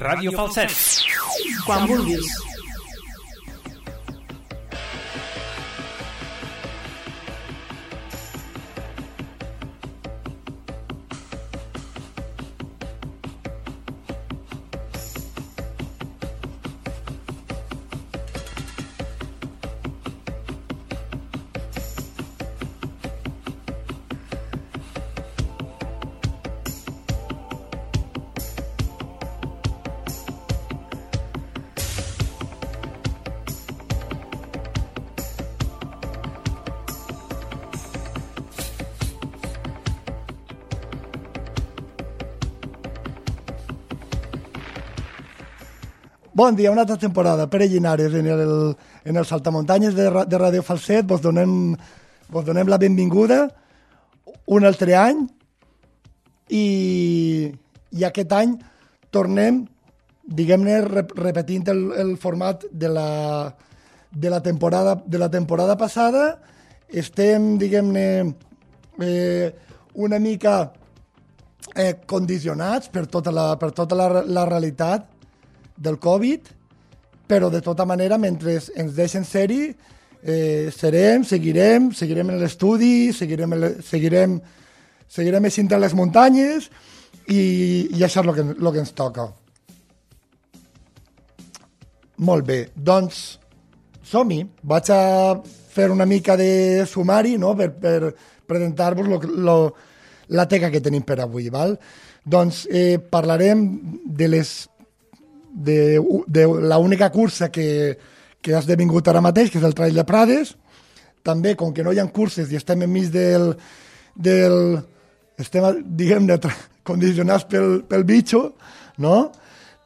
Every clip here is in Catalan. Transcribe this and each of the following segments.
Ràdio Falset. Quan vulguis. Bon dia, una altra temporada. Pere Llinares, en el Saltamuntanyes de Ràdio Falset. Vos donem la benvinguda un altre any i aquest any tornem, diguem-ne, repetint el format de la temporada passada. Estem, diguem-ne, una mica condicionats per tota la realitat del Covid, però de tota manera, mentre ens deixen ser-hi, seguirem en l'estudi, seguirem eixint a les muntanyes i això és el que ens toca. Molt bé, doncs som-hi. Vaig a fer una mica de sumari, no?, per presentar-vos la teca que tenim per avui. Val? Doncs parlarem de l'única cursa que ha esdevingut ara mateix, que és el Trail de Prades. També, com que no hi ha curses i estem enmig estem, diguem-ne, condicionats pel bitxo, no?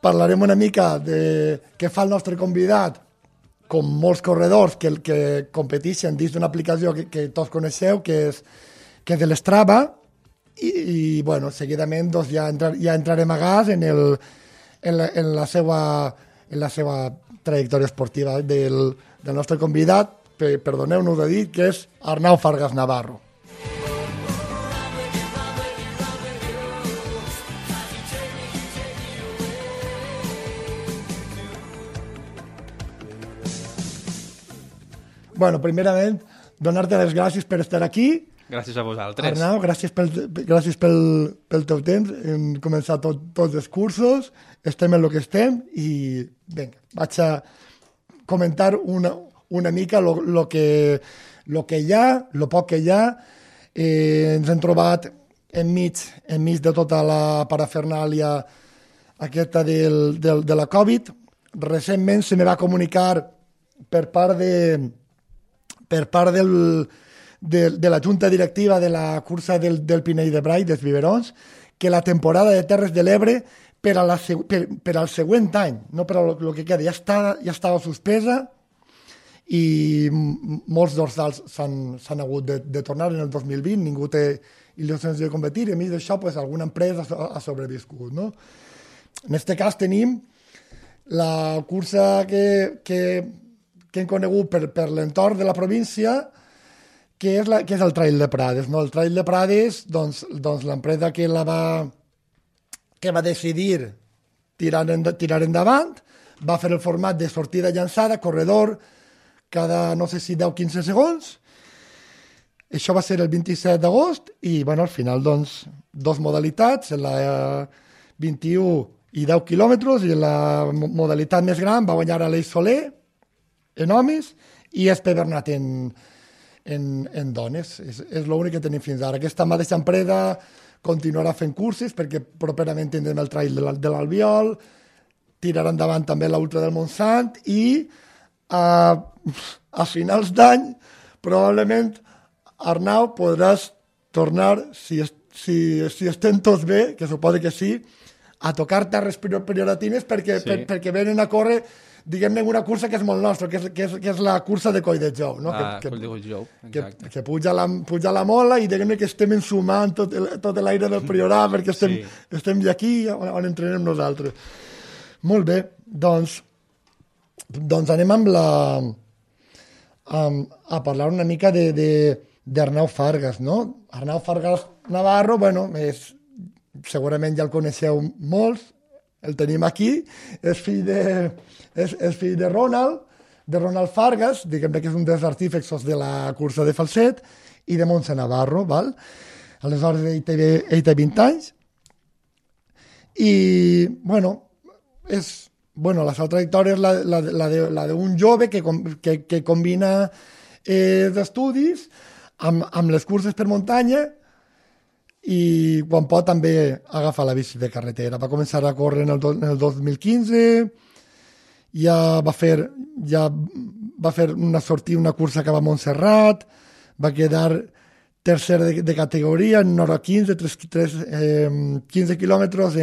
Parlarem una mica de què fa el nostre convidat, com molts corredors que competeixen dins d'una aplicació que tots coneixeu, que és de l'Strava, i bueno, seguidament doncs, ja entrarem a gas en la seva trajectòria esportiva del nostre convidat, perdoneu-nos de dir, que és Arnau Fargas Navarro. Bueno, primerament, donar-te les gràcies per estar aquí. Gràcies a vosaltres. Arnau, gràcies pel teu temps. Hem començat tots els cursos, estem en el que estem i vinga, vaig a comentar una mica lo que hi ha, lo poc que hi ha. Ens hem trobat enmig de tota la parafernàlia aquesta de la Covid. Recentment se me va comunicar per part de la junta directiva de la cursa del Pinell de Brai, dels Biberons, que la temporada de Terres de l'Ebre per al següent any, no per al que queda, ja estava suspesa i molts dorsals s'han hagut de tornar en el 2020, ningú té il·lusions de competir i a mi d'això pues, alguna empresa ha sobreviscut. No? En aquest cas tenim la cursa que hem conegut per l'entorn de la província, que és el Trail de Prades. No? El Trail de Prades, doncs l'empresa que va decidir tirar endavant, va fer el format de sortida llançada, corredor, cada, no sé si 10-15 segons. Això va ser el 27 d'agost i, bueno, al final, doncs, dos modalitats, la 21 i 10 quilòmetres, i la modalitat més gran va guanyar Aleix Soler, en homes, i Espe Bernat en dones. És l'únic que tenim fins ara. Aquesta mateixa empresa continuarà fent curses perquè properament tindrem el Trail de l'Albiol, tirarà endavant també l'Ultra del Montsant i a finals d'any probablement, Arnau, podràs tornar, si estem tots bé, que suposo que sí, a tocar terres prioratines perquè venen a córrer, diguem-ne, una cursa que és molt nostra, que és la cursa de Colldejou. No? Colldejou, exacte. Que puja la mola i diguem-ne que estem ensumant tot l'aire del Priorat perquè estem aquí on entrenem nosaltres. Molt bé, doncs anem a parlar una mica d'Arnau Fargas, no? Arnau Fargas Navarro, bueno, segurament ja el coneixeu molts, el tenim aquí, és fill de Ronald Fargas, diguem que és un dels artífexos de la cursa de falset, i de Montse Navarro, val? Aleshores ell té 20 anys, i, la seva trajectòria és la d'un jove que combina d'estudis amb les curses per muntanya i quan pot també agafa la bici de carretera. Va començar a córrer en el 2015, ja va fer una cursa cap a Montserrat, va quedar tercer de categoria en hora 15, 15 quilòmetres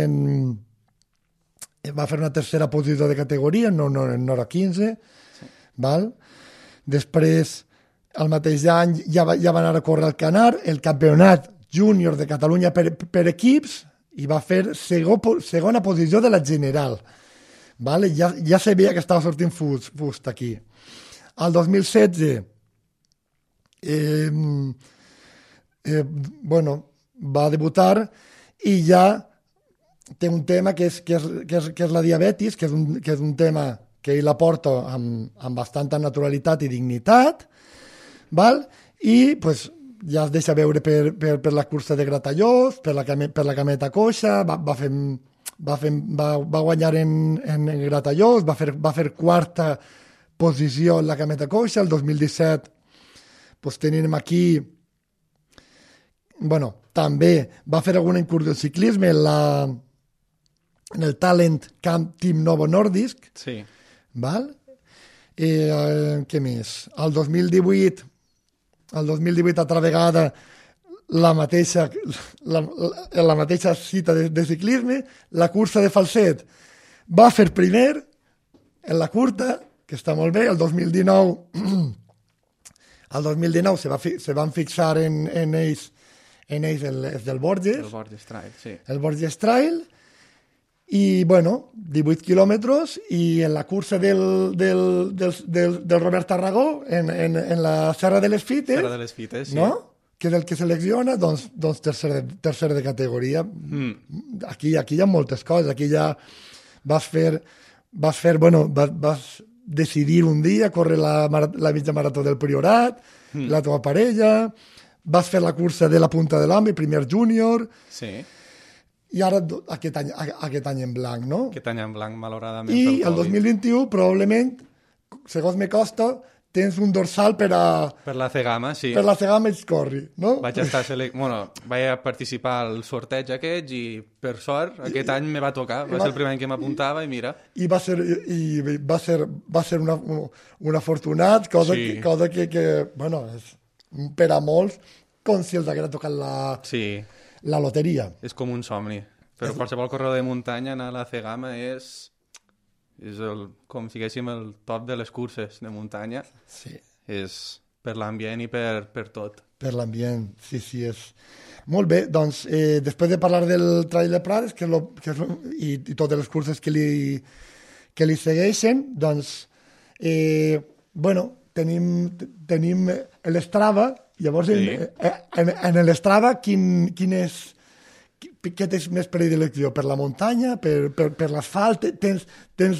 va fer una tercera posició de categoria en hora 15, sí. Val? Després, el mateix any, ja va anar a córrer al Canar, el campionat júnior de Catalunya per equips, i va fer segona posició de la general. Vale? Ja sabia que estava sortint fust aquí. Al 2016, va debutar i ja té un tema que és la diabetis, que és un tema que ell la porta amb bastanta naturalitat i dignitat, val? I pues, ja es deixa veure per la cursa de Gratallops, per la cameta coixa, va guanyar en Gratallops, va fer quarta posició en la cameta coixa. El 2017 pues, tenim aquí també va fer alguna incursió en ciclisme en el Talent Camp Team Novo Nordisk. Sí. Val? Què més? El 2018 altra vegada la mateixa cita de ciclisme, la cursa de falset va fer primer en la curta, que està molt bé. El 2019 se van fixar en ells els del Borges. El Borges Trail, sí. El Borges Trail. I, 18 quilòmetres, i en la cursa del Robert Tarragó, en la Serra de les Fites, Serra de les Fites, sí. No? Que és el que selecciona, doncs tercer de categoria. Aquí hi ha moltes coses. Aquí ja vas decidir un dia córrer la mitja marató del Priorat, la teva parella, vas fer la cursa de la Punta de l'Ambi, primer júnior, sí. I ara aquest any en blanc, no? Aquest any en blanc, malauradament. I el 2021, probablement, segons me costa, tens un dorsal per la Cegama, sí. Per la Cegama ets corri, no? Vaig participar al sorteig aquest i, per sort, aquest any me va tocar. Va ser el primer any que m'apuntava i mira. I va ser un afortunat, cosa que és per a molts, com si els haguera tocat la loteria. És com un somni. Però qualsevol corredor de muntanya anar a la Cegama és com si diguéssim el top de les curses de muntanya. Sí. És per l'ambient i per tot. Per l'ambient, sí, és... Molt bé, doncs, després de parlar del Trail de Prades i totes les curses que li segueixen, doncs, tenim l'Strava. Llavors, sí. En l'Strava, què tens més predilecció? Per la muntanya? Per l'asfalt? Tens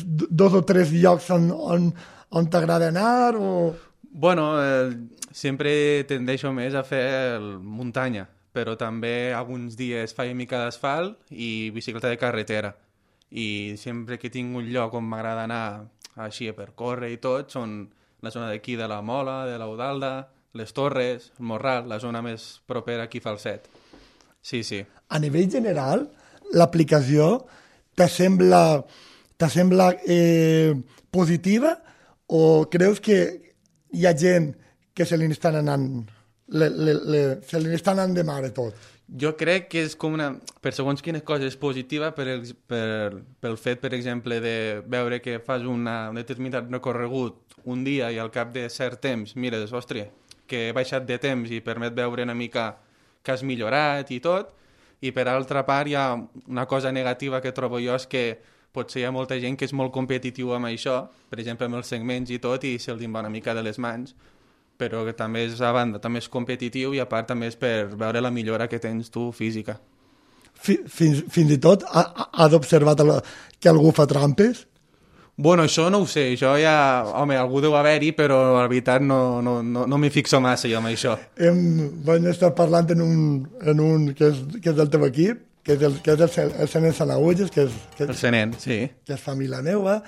2 o 3 llocs on t'agrada anar? Sempre tendeixo més a fer muntanya, però també alguns dies faig mica d'asfalt i bicicleta de carretera. I sempre que tinc un lloc on m'agrada anar així per córrer i tot, són la zona d'aquí de la Mola, de l'Eudalda, les Torres, el Morral, la zona més propera aquí a Falset. Sí. A nivell general, l'aplicació t'assembla positiva o creus que hi ha gent que se li estan anant de mare tot? Jo crec que és com per segons quines coses positiva pel fet, per exemple, de veure que fas un determinat recorregut un dia i al cap de cert temps mires, ostres, que he baixat de temps i permet veure una mica que has millorat i tot, i per altra part hi ha una cosa negativa que trobo jo és que potser hi ha molta gent que és molt competitiu amb això, per exemple amb els segments i tot, i se'ls va una mica de les mans, però que també és a banda, també és competitiu i a part també és per veure la millora que tens tu física. fins i tot has observat que algú fa trampes? Bueno, això no ho sé, això ja... Home, algú deu haver-hi, però la veritat no m'hi fixo massa jo amb això. Vam estar parlant en un que és del teu equip, que és el Senen Sanagulles, El Senen, sí. Que és família meva,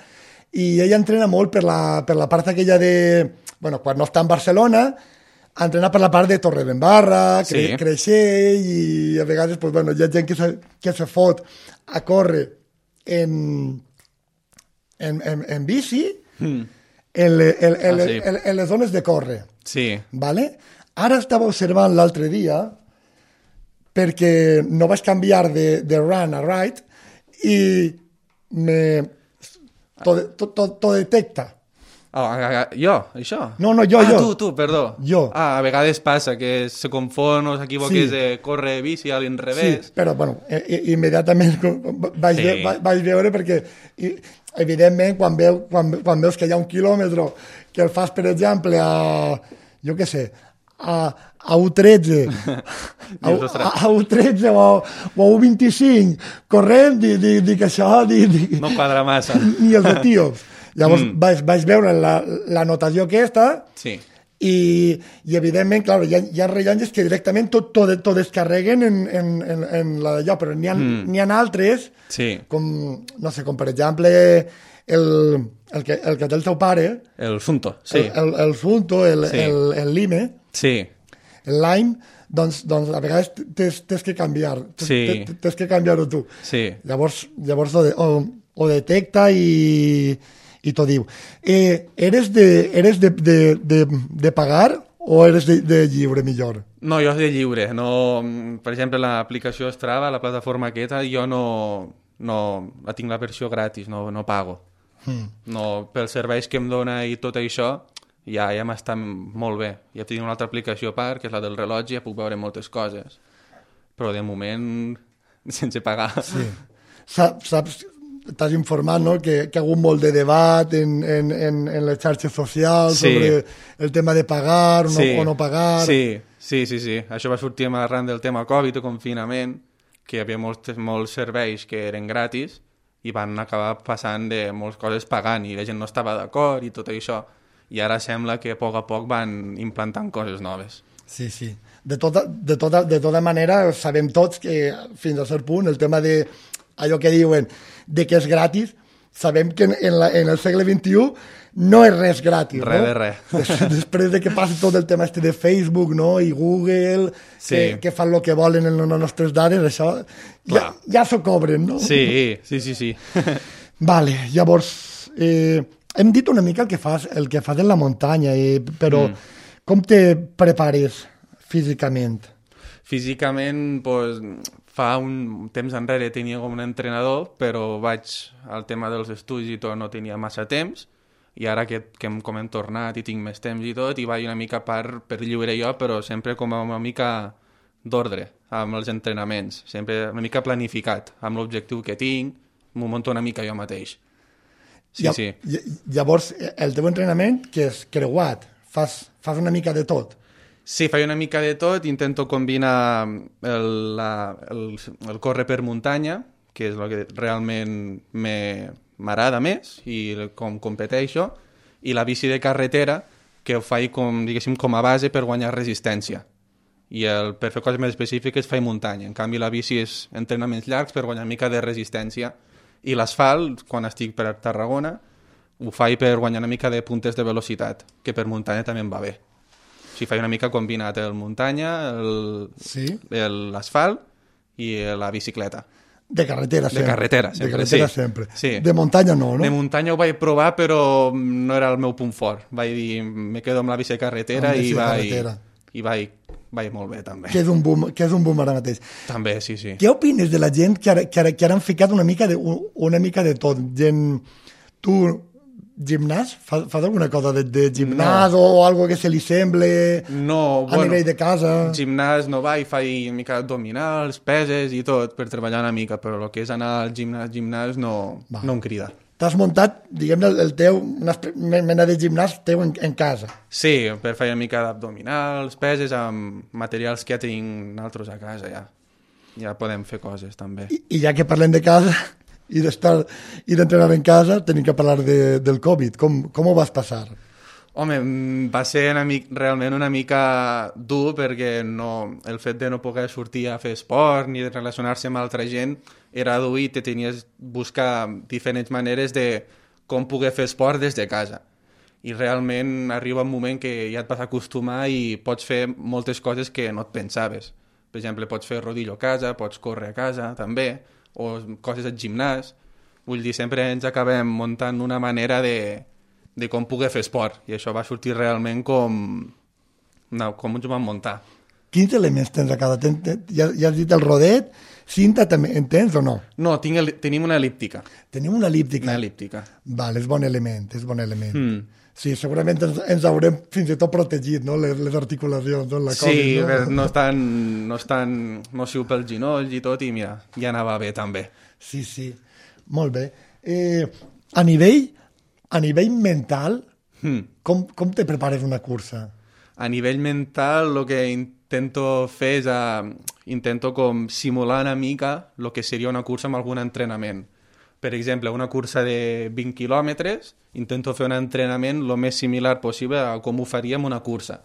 i ella entrena molt per la part aquella de... Bueno, quan no està en Barcelona, entrena per la part de Torredembarra, Sí. Creixell, i a vegades pues, bueno, hi ha gent que se fot a córrer en bici en les zones de córrer. Sí. ¿Vale? Ara estava observant l'altre dia perquè no vaig canviar de run a ride i t'ho detecta. Jo, això? No, jo. Tu, perdó. Jo. A vegades passa que se confon o s'equivoques de córrer bici a l'inrevés. Sí, però bueno, immediatament vaig veure perquè evidentment quan veus que hi ha 1 quilòmetre que el fas, per exemple, jo què sé, a U13 a U13 o a U25 corrent, dic això no quadra massa. ni els etíops. Llavors vaig veure la notació aquesta Sí. i evidentment, clar, hi ha rellotges que directament tot descarreguen en la d'allò, però n'hi ha altres, Sí. com, no sé, com per exemple el que té el teu pare, El Sunto, sí. el Funto, el Lime, Sí. el Lime, doncs a vegades tens que canviar, Sí. tens que canviar-ho tu. Sí. Llavors ho detecta i t'ho diu. Eres de pagar o eres de lliure, millor? No, jo és de lliure. No, per exemple, l'aplicació Strava, la plataforma aquesta, jo no la tinc la versió gratis, no pago. No, pels serveis que em dona i tot això, ja m'està molt bé. Ja tinc una altra aplicació a part, que és la del rellotge, ja puc veure moltes coses. Però de moment, sense pagar. Sí. Saps, t'has informat, no?, que hi ha hagut molt de debat en les xarxes socials sobre el tema de pagar o no pagar. Sí. Això va sortir arran del tema Covid o confinament, que hi havia molts serveis que eren gratis i van acabar passant de moltes coses pagant i la gent no estava d'acord i tot això. I ara sembla que a poc van implantant coses noves. Sí. De tota manera, sabem tots que fins a cert punt el tema de allò que diuen de que és gratis, sabem que en el segle XXI no és res gratis. Res no? de res. Després de que passi tot el tema de Facebook, no?, i Google, que fan el que volen en les nostres dades, això ja s'ho cobren, no? Sí. Vale, llavors, hem dit una mica el que fas en la muntanya, però com te prepares físicament? Físicament, doncs, fa un temps enrere tenia com un entrenador, però al tema dels estudis i tot no tenia massa temps, i ara que com hem tornat i tinc més temps i tot, i vaig una mica per lliure jo, però sempre com una mica d'ordre amb els entrenaments, sempre una mica planificat, amb l'objectiu que tinc, m'ho monto una mica jo mateix. Sí. Llavors, el teu entrenament, que és creuat, fas una mica de tot. Sí, faig una mica de tot, intento combinar el córrer per muntanya, que és el que realment m'agrada més i com competeixo, i la bici de carretera, que ho faig com a base per guanyar resistència. I per fer coses més específiques faig muntanya. En canvi, la bici és entrenaments llargs per guanyar una mica de resistència. I l'asfalt, quan estic per Tarragona, ho faig per guanyar una mica de puntes de velocitat, que per muntanya també em va bé. O sigui, faig una mica combinat el muntanya, l'asfalt i la bicicleta. De carretera sempre. De carretera sempre. Sí. De muntanya no? De muntanya ho vaig provar, però no era el meu punt fort. Vaig dir, me quedo amb la bici de carretera i vaig molt bé, també. Que és un boom ara mateix. També, sí. Què opines de la gent que ara han ficat una mica de tot? Gent, tu, gimnàs? Fas alguna cosa de gimnàs o algo que se li semble a nivell de casa? Gimnàs no vaig, faig una mica abdominals, peses i tot, per treballar una mica, però el que és anar al gimnàs no em crida. T'has muntat, diguem-ne, una mena de gimnàs teu en casa. Sí, per fer una mica d'abdominals, peses, amb materials que ja tinc altres a casa, ja. ja podem fer coses també. I ja que parlem de casa i d'entrenar en casa, tenim que parlar del Covid. Com ho vas passar? Home, va ser realment una mica dur perquè el fet de no poder sortir a fer esport ni de relacionar-se amb altra gent era dur i te tenies buscar diferents maneres de com poder fer esport des de casa. I realment arriba un moment que ja et vas acostumar i pots fer moltes coses que no et pensaves. Per exemple, pots fer rodillo a casa, pots córrer a casa també, o coses al gimnàs. Vull dir, sempre ens acabem muntant una manera de com poder fer esport. I això va sortir realment com ens ho vam muntar. Quins elements tens a casa? Ja has dit el rodet, cinta també en tens o no? No, tenim una elíptica. Tenim una elíptica? Una elíptica. Vale, és bon element. Sí, segurament ens haurem fins i tot protegit, no? Les articulacions, no? La sí, COVID, no és tan nociu pels ginolls i tot, i mira, ja anava bé també. Sí, molt bé. A nivell mental, com te prepares una cursa? A nivell mental, el que intento fer és intento com simular una mica el que seria una cursa amb algun entrenament. Per exemple, una cursa de 20 quilòmetres, intento fer un entrenament el més similar possible a com ho faríem una cursa.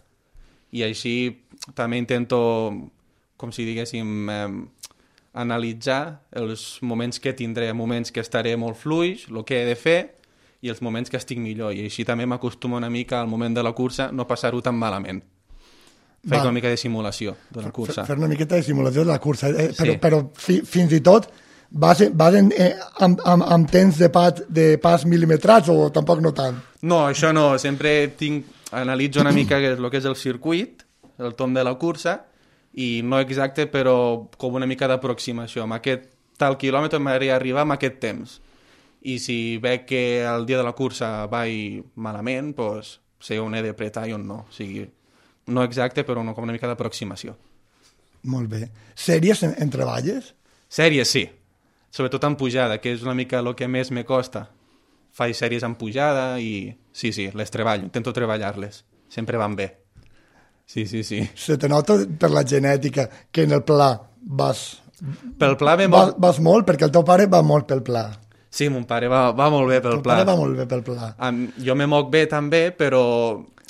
I així també intento, com si diguéssim, analitzar els moments que tindré, moments que estaré molt fluix, el que he de fer, i els moments que estic millor. I així també m'acostumo una mica al moment de la cursa no passar-ho tan malament. Fer una mica de simulació de la cursa. Fer una miqueta de simulació de la cursa. Sí. Però fins i tot vas amb temps de pas mil·limetrats o tampoc no tant? No, això no. Sempre analitzo una mica el que és el circuit, el tom de la cursa, i no exacte, però com una mica d'aproximació. Amb aquest tal quilòmetre m'agradaria arribar amb aquest temps. I si veig que el dia de la cursa vaig malament, doncs sé on he de pretar i on no. O sigui, no exacte, però com una mica d'aproximació. Molt bé. Sèries en treballes? Sèries, sí. Sobretot en pujada, que és una mica el que més me costa. Faig sèries en pujada i sí, les treballo, intento treballar-les. Sempre van bé. Sí. Se te nota per la genètica que en el pla vas... Pel pla vas molt, perquè el teu pare va molt pel pla. Sí, mon pare va molt bé pel pla. El pare va molt bé pel pla. Jo me moc bé també, però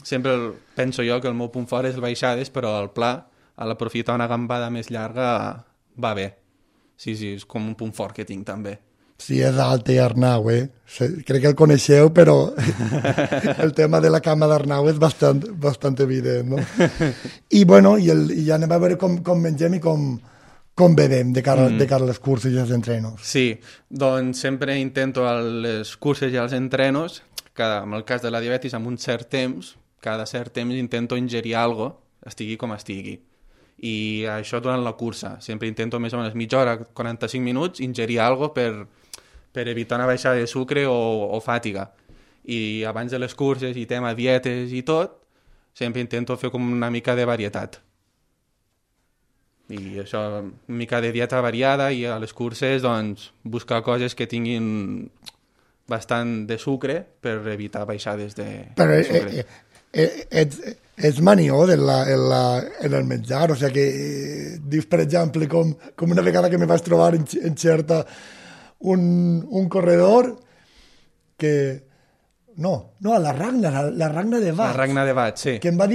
sempre penso jo que el meu punt fort és el baixades, però el pla, a l'aprofitar una gambada més llarga, va bé. Sí, és com un punt fort que tinc també. Sí, és Alte i Arnau, crec que el coneixeu, però el tema de la cama d'Arnau és bastant evident, no? I bueno, ja anem a veure com mengem i com bevem de cara a les curses i els entrenos. Sí, doncs sempre intento a les curses i als entrenos, en el cas de la diabetis, amb un cert temps, cada cert temps intento ingerir alguna cosa, estigui com estigui. I això durant la cursa. Sempre intento més o menys mitja hora, 45 minuts, ingerir alguna cosa per evitar una baixada de sucre o fàtiga. I abans de les curses i tema dietes i tot, sempre intento fer com una mica de varietat. I això, una mica de dieta variada, i a les curses doncs, buscar coses que tinguin bastant de sucre per evitar baixades de sucre. Ets manió en el menjar, o sigui que dius, per exemple, com una vegada que me vaig trobar en Xerta un corredor que... No, a la Ragna de Bats. La Ragna de Bats, sí. Que em va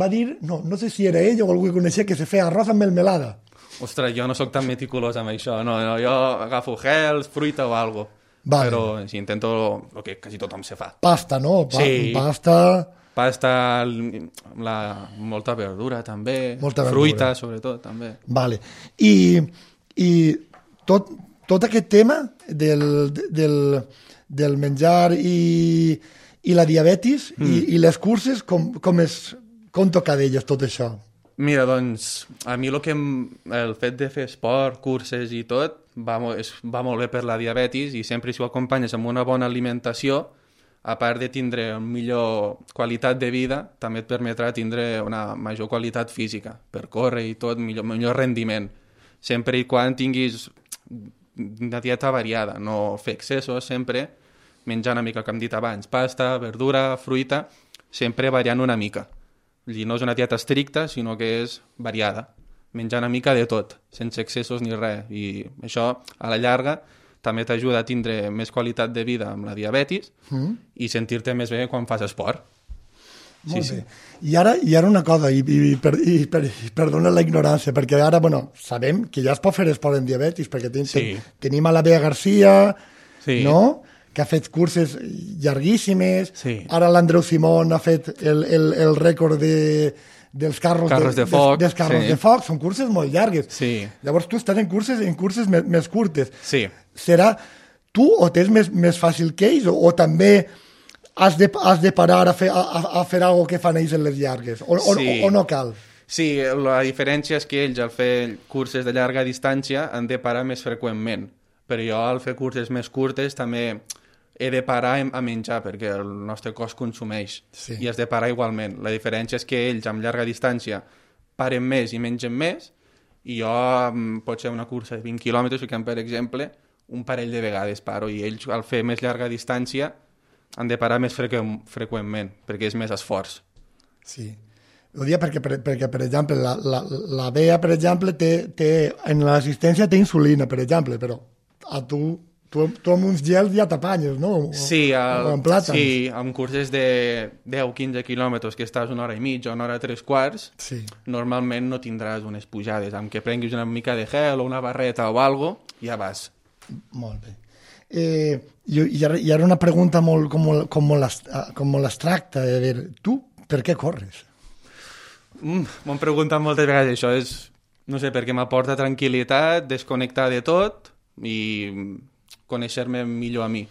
dir, no sé si era ell o algú que coneixia, que se feia arròs amb melmelada. Ostres, jo no sóc tan meticulós amb això, no, jo agafo gels, fruita o algo. Vale. Però sí, intento el que quasi tothom se fa. Pasta, no? Sí. Pasta, molta verdura també, fruita sobretot també. Vale. I tot aquest tema del menjar i la diabetis i les curses, com toca d'elles tot això? Mira, doncs, a mi el fet de fer esport, curses i tot, va molt bé per la diabetis, i sempre si ho acompanyes amb una bona alimentació, a part de tindre una millor qualitat de vida, també et permetrà tindre una major qualitat física, per córrer i tot, millor rendiment. Sempre i quan tinguis una dieta variada, no fer excessos sempre, menjar una mica, com hem dit abans, pasta, verdura, fruita, sempre variant una mica. No és una dieta estricta, sinó que és variada. menjar una mica de tot, sense excessos ni res. I això, a la llarga, també t'ajuda a tindre més qualitat de vida amb la diabetis i sentir-te més bé quan fas esport. Molt bé. I ara una cosa, i perdona la ignorància, perquè ara, sabem que ja es pot fer esport en diabetis, perquè tenim a la Bea Garcia, no?, que ha fet curses llarguíssimes, ara l'Andreu Simón ha fet el rècord dels carros de foc, són curses molt llargues. Llavors tu estàs en curses més curtes. Serà tu o tens més fàcil que ells o també has de parar a fer alguna cosa que fan ells en les llargues o no cal? Sí, la diferència és que ells al fer curses de llarga distància han de parar més freqüentment, però jo al fer curses més curtes també he de parar a menjar perquè el nostre cos consumeix i has de parar igualment. La diferència és que ells amb llarga distància paren més i mengen més i jo pot ser una cursa de 20 quilòmetres que per exemple un parell de vegades paro i ells al fer més llarga distància han de parar més freqüentment perquè és més esforç. Sí, ho dia perquè per exemple la Bea per exemple en l'assistència té insulina per exemple, però a tu amb uns gels ja t'apanyes, no? Sí, amb curses de 10-15 quilòmetres que estàs una hora i mitja o una hora 3/4, normalment no tindràs unes pujades. Amb que prenguis una mica de gel o una barreta o algo, ja vas. Molt bé. I ara una pregunta com molt abstracta. Tu, per què corres? M'han preguntat moltes vegades això. No sé, perquè m'aporta tranquil·litat, desconnectar de tot i conèixer-me millor a mi.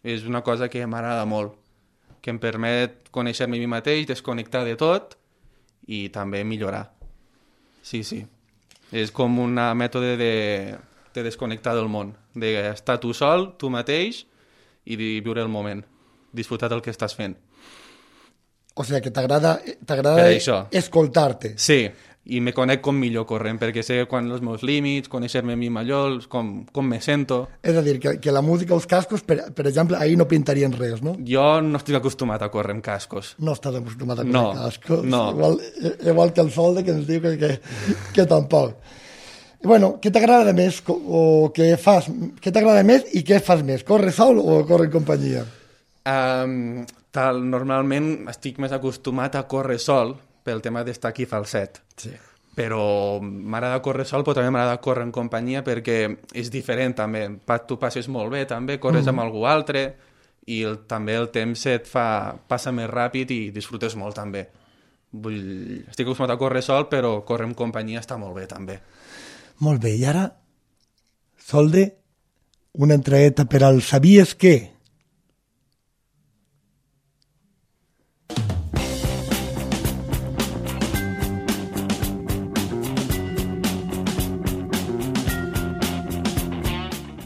És una cosa que m'agrada molt, que em permet conèixer-me a mi mateix, desconnectar de tot i també millorar. Sí. És com un mètode de desconnectar del món, d'estar tu sol, tu mateix i de viure el moment, disfrutar del que estàs fent. O sigui que t'agrada escoltar-te. Sí, i me conec com millor corrent, perquè sé quan els meus límits, conèixer-me a mi millor, com me sento. És a dir, que la música, els cascos, per exemple, ahir no pintarien res, no? Jo no estic acostumat a córrer amb cascos. No estàs acostumat a córrer amb cascos? No. Igual que el Solde, que ens diu que tampoc. Bueno, què t'agrada més o què fas? Què t'agrada més i què fas més? Corre sol o corre en companyia? Normalment estic més acostumat a córrer sol, pel tema d'estar aquí falset. Però m'agrada córrer sol, però també m'agrada córrer en companyia perquè és diferent també. Tu passes molt bé també, corres amb algú altre i també el temps passa més ràpid i disfrutes molt també. Estic acostumat a córrer sol, però córrer en companyia està molt bé també. Molt bé, i ara, Solde, una entreeta per al Sabies què?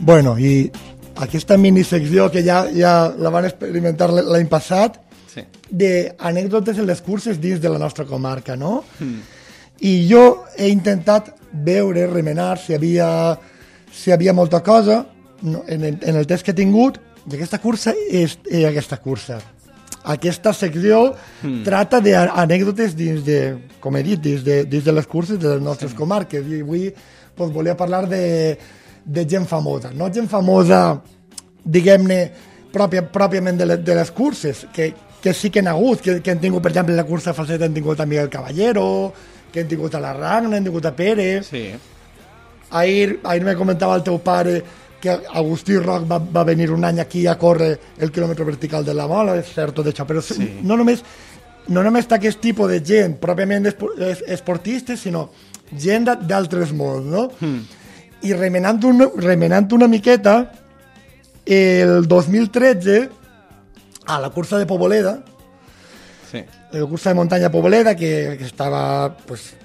Bueno, i aquesta minisecció que ja la van experimentar l'any passat, d'anècdotes en les curses dins de la nostra comarca, no? I jo he intentat veure, remenar si hi havia molta cosa en el temps que he tingut, i aquesta secció trata d'anècdotes dins de, com he dit, dins de les curses de les nostres comarques, i avui volia parlar de gent famosa, no gent famosa, diguem-ne, pròpiament de les curses, que sí que han hagut, que han tingut, per exemple, la cursa falset han tingut a Miguel Caballero, que han tingut a la Ragna, han tingut a Pérez. Ahir me comentava el teu pare que Agustí Roc va venir un any aquí a córrer el quilòmetre vertical de la Mola, és cert tot això, però no només aquest tipus de gent, pròpiament esportistes, sinó gent d'altres mons, no? I remenant una miqueta, el 2013, a la cursa de Poboleda, la cursa de muntanya Poboleda, que estava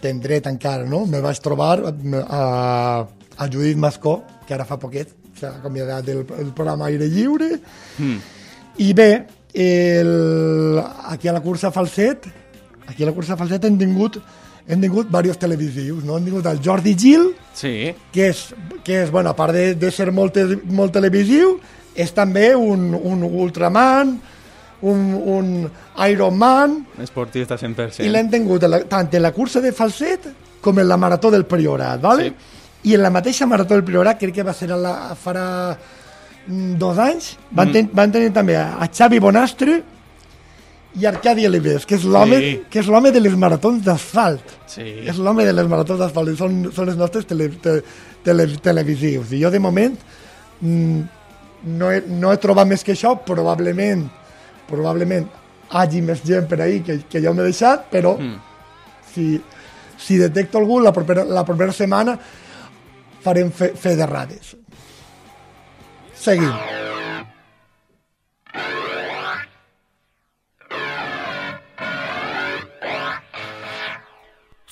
ben dret encara, no? Me vaig trobar a Judit Mascó, que ara fa poquet s'ha acomiadat del programa Aire Lliure, i bé, aquí a la cursa Falset hem tingut diversos televisius, no? Hem tingut el Jordi Gil, que és bueno, a part de ser molt televisiu, és també un ultraman, un Ironman. Esportista 100%. I l'hem tingut tant en la cursa de Falset com en la Marató del Priorat, ¿vale? Sí. I en la mateixa Marató del Priorat, crec que va ser farà 2 anys, van tenir també a Xavi Bonastre i Arcadi Olives, que és l'home de les maratons d'asfalt. Sí. És l'home de les maratons d'asfalt, són els nostres televisius. I jo, de moment, no he trobat més que això, probablement hagi més gent per ahí que ja m'he deixat, però si detecto algú, la propera setmana farem fe d'errades. Seguim.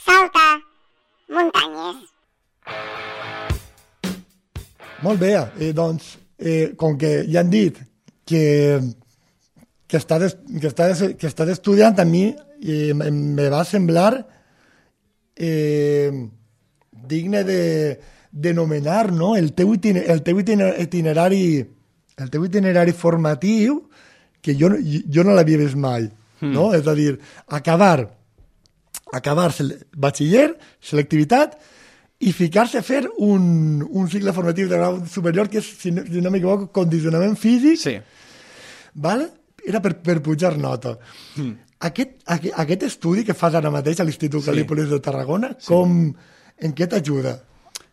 Salta muntanyes. Molt bé, doncs, com que ja han dit que estàs estudiant, a mi me va semblar digne de nomenar, no? el teu itinerari formatiu, que jo no l'havia vist mai, no? És a dir, acabar batxiller, selectivitat, i ficar-se a fer un cicle formatiu de grau superior que és, si no m'equivoco, condicionament físic, Sí. ¿vale? Era per pujar nota. Aquest estudi que fas ara mateix a l'Institut Cal·lípolis de Tarragona, en què t'ajuda?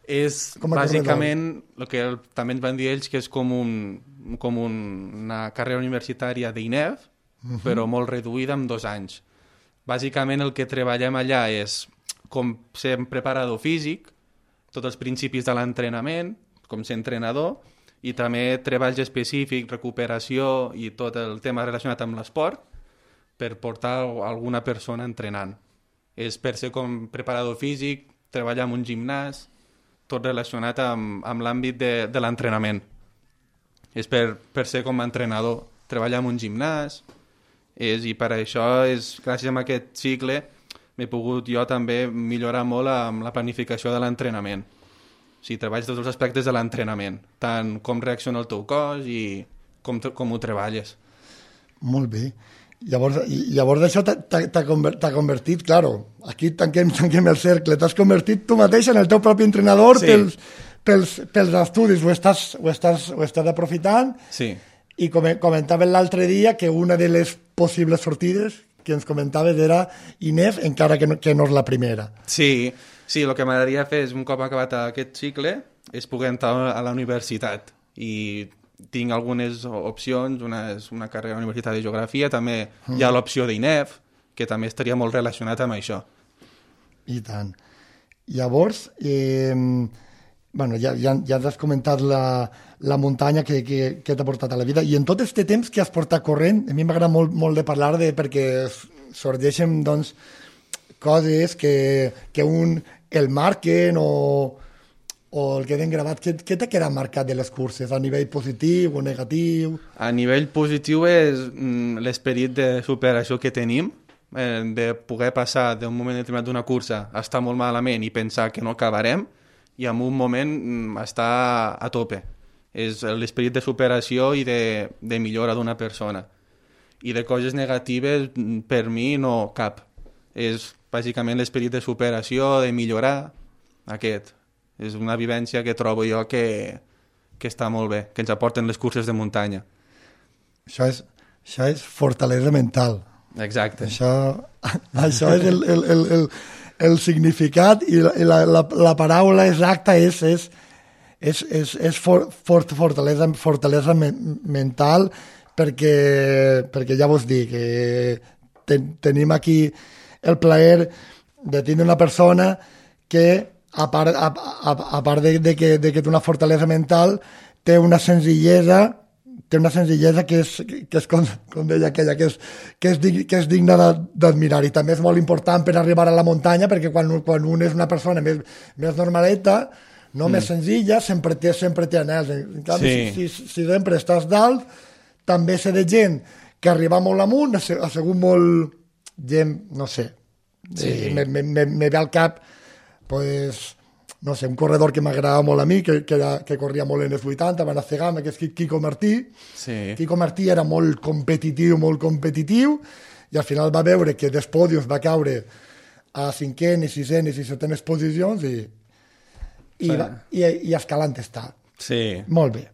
És Com a bàsicament el que també ens van dir ells, que és com una carrera universitària d'INEF, però molt reduïda en 2 anys. Bàsicament el que treballem allà és com ser un preparador físic, tots els principis de l'entrenament, com ser entrenador, i també treballs específics, recuperació i tot el tema relacionat amb l'esport per portar alguna persona entrenant. És per ser com preparador físic, treballar en un gimnàs, tot relacionat amb l'àmbit de l'entrenament. És per ser com a entrenador, treballar en un gimnàs, i per això, gràcies a aquest cicle, m'he pogut jo també millorar molt amb la planificació de l'entrenament. O sigui, treballes tots els aspectes de l'entrenament, tant com reacciona el teu cos i com ho treballes. Molt bé. Llavors això t'ha convertit, claro, aquí tanquem el cercle, t'has convertit tu mateix en el teu propi entrenador pels estudis, ho estàs aprofitant. Sí. I comentaven l'altre dia que una de les possibles sortides que ens comentaves era INEF, encara que no és la primera. Sí, el que m'agradaria fer és, un cop acabat aquest cicle, és poder entrar a la universitat. I tinc algunes opcions, una carrera a la Universitat de Geografia, també hi ha l'opció d'INEF, que també estaria molt relacionat amb això. I tant. Llavors, ja has comentat la muntanya que t'ha portat a la vida, i en tot aquest temps que has portat corrent, a mi m'agrada molt de parlar perquè sorgeixen doncs, coses que el marquen o el queden gravat. Què t'ha quedat marcat de les curses, a nivell positiu o negatiu? A nivell positiu és l'esperit de superació que tenim, de poder passar d'un moment determinat d'una cursa a estar molt malament i pensar que no acabarem, i en un moment estar a tope. És l'esperit de superació i de millora d'una persona. I de coses negatives, per mi, no cap. És bàsicament l'esperit de superació, de millorar, aquest. És una vivència que trobo jo que està molt bé, que ens aporten les curses de muntanya. Això és fortalesa mental. Exacte. Això és el significat, i la paraula exacta és fortalesa mental, perquè ja vos dic que tenim aquí el plaer de tenir una persona que, a part de que té una fortalesa mental, té una senzillesa que és com deia aquella, que és digna d'admirar, i també és molt important per arribar a la muntanya, perquè quan un és una persona més normaleta, no més senzilla, sempre té anels. En canvi, si sempre estàs dalt, també sé de gent que arriba molt amunt, ha sigut molt gent, no sé, me ve al cap, pues, no sé, un corredor que m'agradava molt a mi, que corria molt en els 80, van a Cegama, que és Quico Martí. Sí. Quico Martí era molt competitiu, i al final va veure que dels pòdiums va caure a cinquenes, sisenes i setenes posicions i escalant està. Sí. Molt bé.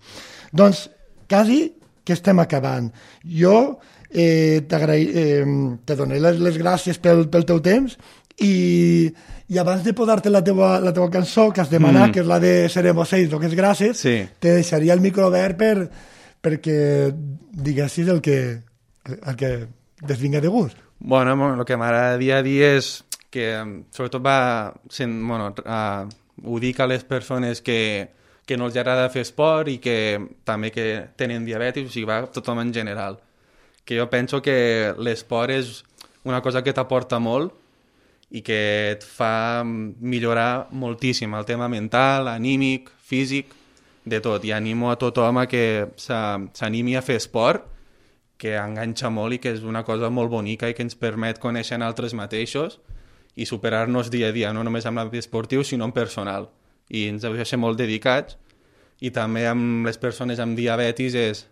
Doncs, quasi que estem acabant. Jo te donaré les gràcies pel teu temps i abans de posar-te la teva cançó que has demanat, que és la de Seremos 6, que és gràcies, te deixaria el micro obert perquè diguessis el que et vinga de gust. Bueno, el que m'agradaria dir és que sobretot ho dic a les persones que no els agrada fer esport i que també que tenen diabetis, o sigui, va tothom en general. Que jo penso que l'esport és una cosa que t'aporta molt i que et fa millorar moltíssim el tema mental, anímic, físic, de tot. I animo a tothom a que s'animi a fer esport, que enganxa molt i que és una cosa molt bonica i que ens permet conèixer altres mateixos i superar-nos dia a dia, no només amb l'àmbit esportiu, sinó en personal. I ens heu de ser molt dedicats. I també amb les persones amb diabetis és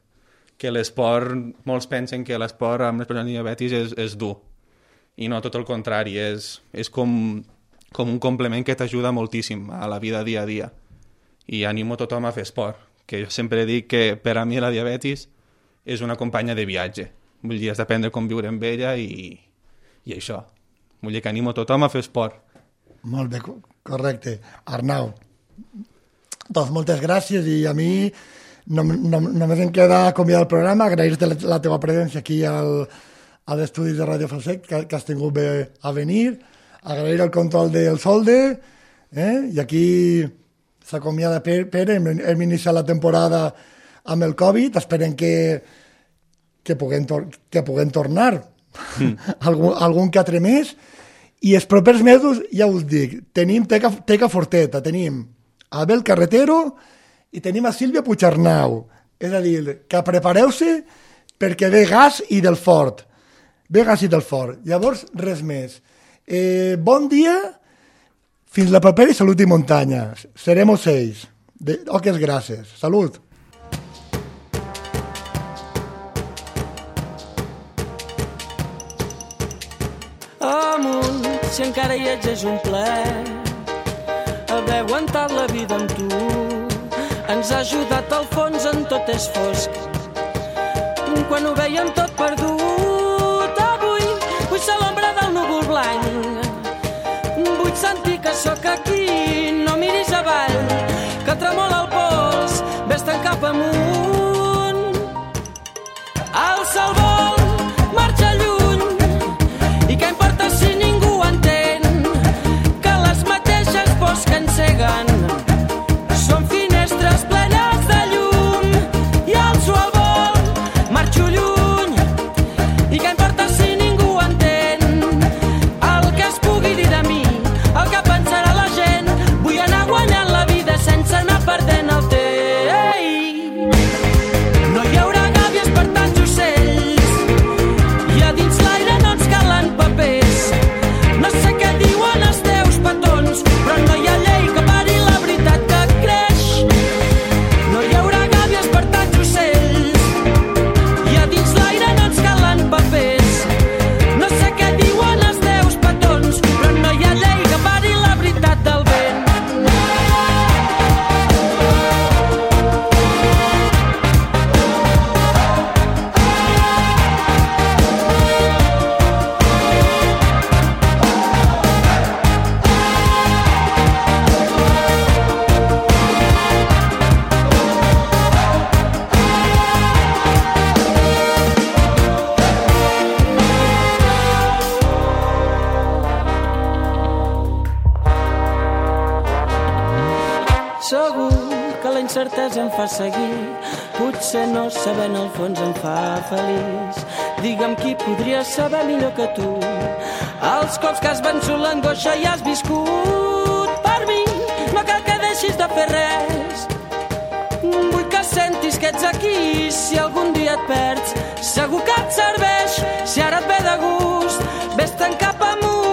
que l'esport, molts pensen que l'esport amb les persones amb diabetis és dur. I no, tot el contrari, és com un complement que t'ajuda moltíssim a la vida dia a dia. I animo tothom a fer esport, que jo sempre dic que per a mi la diabetis és una companya de viatge. Vull dir, has d'aprendre com viure amb ella i això. Vull dir que animo tothom a fer esport. Molt bé, correcte. Arnau, doncs moltes gràcies i a mi només em queda acomiadar el programa, agrair-te la teva presència aquí a l'estudi de Ràdio Falset, que has tingut bé a venir, agrair el control del solde, i aquí s'acomiada Pere, hem iniciat la temporada amb el Covid, esperem que puguem tornar algun que altre mes, i els propers mesos, ja us dic, tenim Teca Forteta, tenim Abel Carretero i tenim a Sílvia Puigarnau. És a dir, que prepareu-se perquè ve gas i del fort. Ve gas i del fort. Llavors, res més. Bon dia, fins la propera i salut i muntanya. Seremos 6. Oques gràcies. Salut. Amunt, si encara hi ets és un plaer haver aguantat la vida amb tu. Ens ha ajudat al fons en tot és fosc. Quan ho veiem tot perdut, avui vull ser l'ombra del núvol blanc. Vull sentir que sóc aquí, no miris avall, que tremola el pols, vés-te'n cap amunt. El sol vol marxar lluny, i què importa si ningú entén que les mateixes pors que enceguen són finestres plenes de llum, i el sol vol marxo lluny, i què importa si ningú entén el que es pugui dir de mi, el que pensarà la gent. Vull anar guanyant la vida sense anar perdent el temps. No hi haurà gàbies per tants ocells, i a dins l'aire no ens calen papers. No sé què diuen els teus petons, però no hi ha llei que pari la veritat que creix. No hi haurà gàbies per tants ocells, i a dins l'aire no ens calen papers. No sé què diuen els teus petons, però no hi ha llei que pari la veritat del vent. Segur que la incertesa em fa seguir, potser no saber en el fons em fa feliç. Digue'm qui podria saber millor que tu els cops que has vençut l'angoixa i has viscut. Per mi no cal que deixis de fer res, vull que sentis que ets aquí. Si algun dia et perds, segur que et serveix. Si ara et ve de gust, vés-te'n cap amunt.